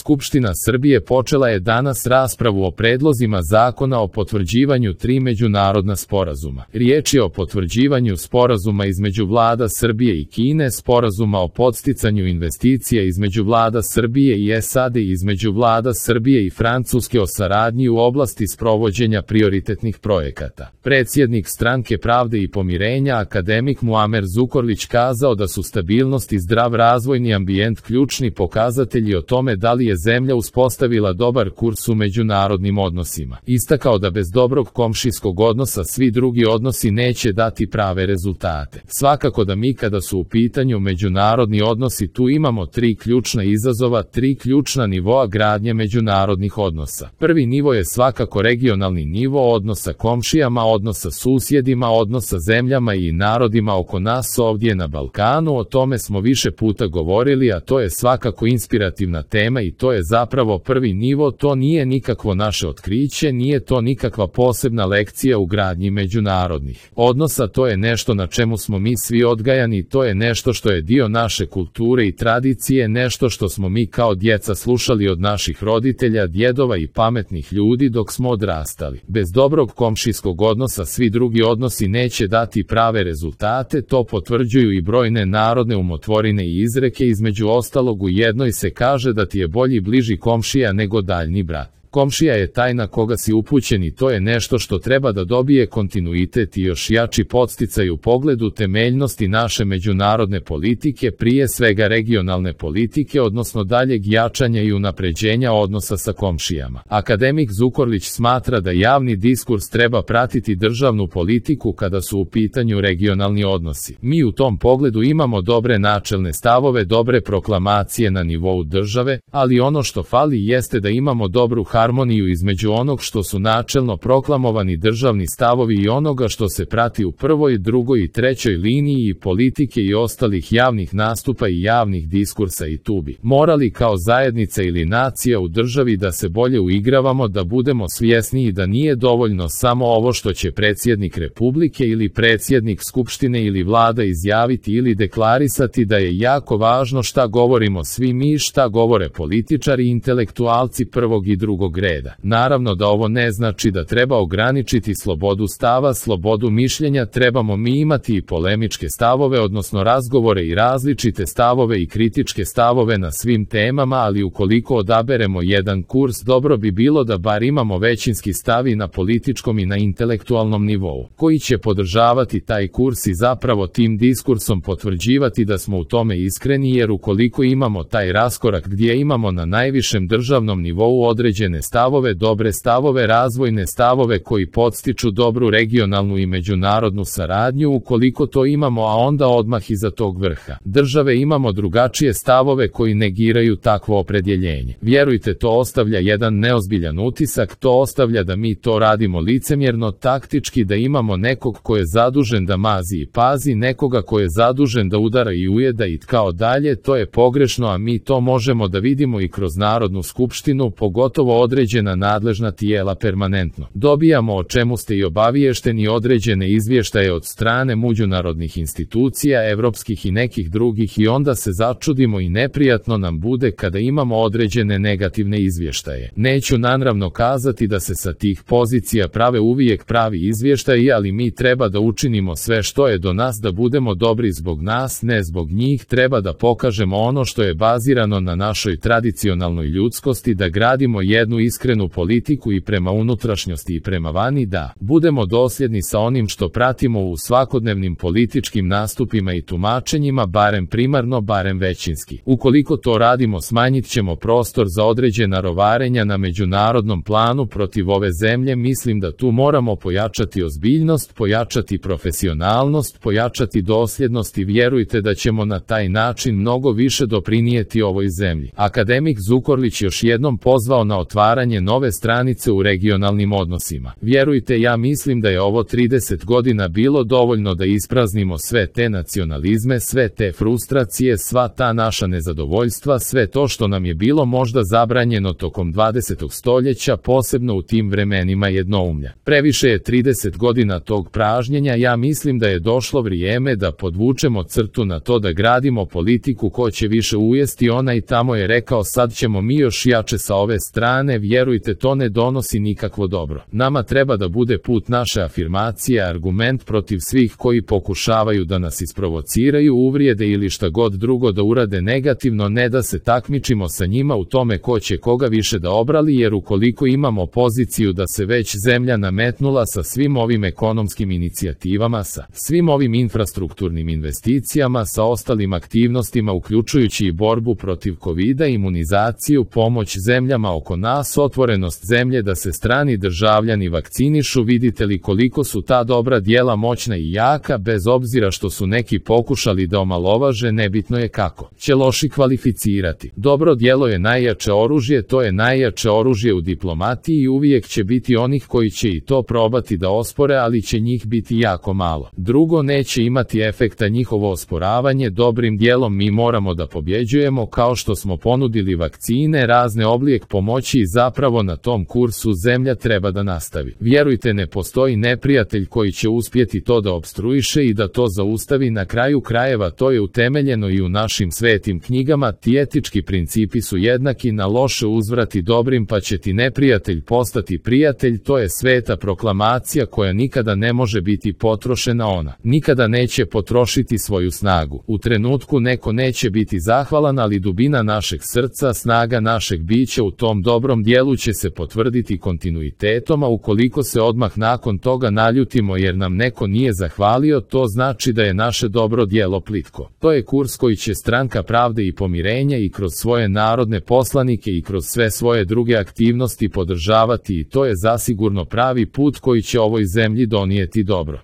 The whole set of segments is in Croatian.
Skupština Srbije počela je danas raspravu o predlozima zakona o potvrđivanju 3 međunarodna sporazuma. Riječ je o potvrđivanju sporazuma između vlada Srbije i Kine, sporazuma o podsticanju investicija između vlada Srbije i SAD i između vlada Srbije i Francuske o saradnji u oblasti sprovođenja prioritetnih projekata. Predsjednik Stranke pravde i pomirenja akademik Muamer Zukorlić kazao da su stabilnost i zdrav razvojni ambijent ključni pokazatelji o tome da li je zemlja uspostavila dobar kurs u međunarodnim odnosima. Istakao da bez dobrog komšijskog odnosa svi drugi odnosi neće dati prave rezultate. Svakako da mi kada su u pitanju međunarodni odnosi tu imamo 3 ključna izazova, 3 ključna nivoa gradnje međunarodnih odnosa. Prvi nivo je svakako regionalni nivo odnosa komšijama, odnosa susjedima, odnosa zemljama i narodima oko nas ovdje na Balkanu. O tome smo više puta govorili, a to je svakako inspirativna tema i to je zapravo prvi nivo. To nije nikakvo naše otkriće, nije to nikakva posebna lekcija u gradnji međunarodnih odnosa, to je nešto na čemu smo mi svi odgajani, to je nešto što je dio naše kulture i tradicije, nešto što smo mi kao djeca slušali od naših roditelja, djedova i pametnih ljudi dok smo odrastali. Bez dobrog komšijskog odnosa svi drugi odnosi neće dati prave rezultate, to potvrđuju i brojne narodne umotvorine i izreke, između ostalog u jednoj se kaže da ti je bolji bliži komšija nego daljni brat. Komšija je taj na koga si upućen i to je nešto što treba da dobije kontinuitet i još jači podsticaj u pogledu temeljnosti naše međunarodne politike, prije svega regionalne politike, odnosno daljeg jačanja i unapređenja odnosa sa komšijama. Akademik Zukorlić smatra da javni diskurs treba pratiti državnu politiku kada su u pitanju regionalni odnosi. Mi u tom pogledu imamo dobre načelne stavove, dobre proklamacije na nivou države, ali ono što fali jeste da imamo dobru harmoniju između onog što su načelno proklamovani državni stavovi i onoga što se prati u prvoj, drugoj i trećoj liniji i politike i ostalih javnih nastupa i javnih diskursa i tu bi morali kao zajednica ili nacija u državi da se bolje uigravamo, da budemo svjesniji da nije dovoljno samo ovo što će predsjednik Republike ili predsjednik Skupštine ili vlada izjaviti ili deklarisati, da je jako važno šta govorimo svi mi, šta govore političari i intelektualci prvog i drugog reda. Naravno da ovo ne znači da treba ograničiti slobodu stava, slobodu mišljenja, trebamo mi imati i polemičke stavove, odnosno razgovore i različite stavove i kritičke stavove na svim temama, ali ukoliko odaberemo jedan kurs, dobro bi bilo da bar imamo većinski stav i na političkom i na intelektualnom nivou, koji će podržavati taj kurs i zapravo tim diskursom potvrđivati da smo u tome iskreni, jer ukoliko imamo taj raskorak gdje imamo na najvišem državnom nivou određene stavove, dobre stavove, razvojne stavove koji podstiču dobru regionalnu i međunarodnu saradnju, ukoliko to imamo, a onda odmah iza tog vrha države imamo drugačije stavove koji negiraju takvo opredjeljenje. Vjerujte, to ostavlja jedan neozbiljan utisak, to ostavlja da mi to radimo licemjerno, taktički, da imamo nekog ko je zadužen da mazi i pazi, nekoga ko je zadužen da udara i ujeda i kao dalje. To je pogrešno, a mi to možemo da vidimo i kroz Narodnu skupštinu, pogotovo određena nadležna tijela permanentno dobijamo, o čemu ste i obaviješteni, određene izvještaje od strane međunarodnih institucija, evropskih i nekih drugih, i onda se začudimo i neprijatno nam bude kada imamo određene negativne izvještaje. Neću naravno kazati da se sa tih pozicija prave uvijek pravi izvještaji, ali mi treba da učinimo sve što je do nas da budemo dobri zbog nas, ne zbog njih. Treba da pokažemo ono što je bazirano na našoj tradicionalnoj ljudskosti, da gradimo jednu iskrenu politiku i prema unutrašnjosti i prema vani, da budemo dosljedni sa onim što pratimo u svakodnevnim političkim nastupima i tumačenjima, barem primarno, barem većinski. Ukoliko to radimo, smanjit ćemo prostor za određena rovarenja na međunarodnom planu protiv ove zemlje. Mislim da tu moramo pojačati ozbiljnost, pojačati profesionalnost, pojačati dosljednost i vjerujte da ćemo na taj način mnogo više doprinijeti ovoj zemlji. Akademik Zukorlić još jednom pozvao na otvaranje otvaranje nove stranice u regionalnim odnosima. Vjerujte, ja mislim da je ovo 30 godina bilo dovoljno da ispraznimo sve te nacionalizme, sve te frustracije, sva ta naša nezadovoljstva, sve to što nam je bilo možda zabranjeno tokom 20. stoljeća, posebno u tim vremenima jednoumlja. Previše je 30 godina tog pražnjenja, ja mislim da je došlo vrijeme da podvučemo crtu na to, da gradimo politiku ko će više ujesti. Ona i tamo je rekao, sad ćemo mi još jače sa ove strane. Vjerujte, to ne donosi nikakvo dobro. Nama treba da bude put naše afirmacije, argument protiv svih koji pokušavaju da nas isprovociraju, uvrijede ili šta god drugo da urade negativno, ne da se takmičimo sa njima u tome ko će koga više da obrali, jer ukoliko imamo poziciju da se već zemlja nametnula sa svim ovim ekonomskim inicijativama, sa svim ovim infrastrukturnim investicijama, sa ostalim aktivnostima uključujući i borbu protiv covida, imunizaciju, pomoć zemljama oko nas, otvorenost zemlje da se strani državljani vakcinišu, vidite li koliko su ta dobra djela moćna i jaka, bez obzira što su neki pokušali da omalovaže, nebitno je kako će loši kvalificirati. Dobro djelo je najjače oružje, to je najjače oružje u diplomatiji i uvijek će biti onih koji će i to probati da ospore, ali će njih biti jako malo. Drugo, neće imati efekta njihovo osporavanje. Dobrim djelom mi moramo da pobjeđujemo, kao što smo ponudili vakcine, razne oblijek pomoći i zapravo na tom kursu zemlja treba da nastavi. Vjerujte, ne postoji neprijatelj koji će uspjeti to da opstruiše i da to zaustavi. Na kraju krajeva to je utemeljeno i u našim svetim knjigama. Ti etički principi su jednaki, na loše uzvrati dobrim pa će ti neprijatelj postati prijatelj. To je sveta proklamacija koja nikada ne može biti potrošena, ona nikada neće potrošiti svoju snagu. U trenutku neko neće biti zahvalan, ali dubina našeg srca, snaga našeg bića u tom dobrom dijelu će se potvrditi kontinuitetom, a ukoliko se odmah nakon toga naljutimo jer nam neko nije zahvalio, to znači da je naše dobro djelo plitko. To je kurs koji će Stranka pravde i pomirenja i kroz svoje narodne poslanike i kroz sve svoje druge aktivnosti podržavati, i to je zasigurno pravi put koji će ovoj zemlji donijeti dobro.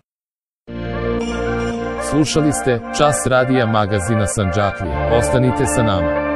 Slušali ste Čas radija magazina Sandžaklija. Ostanite sa nama.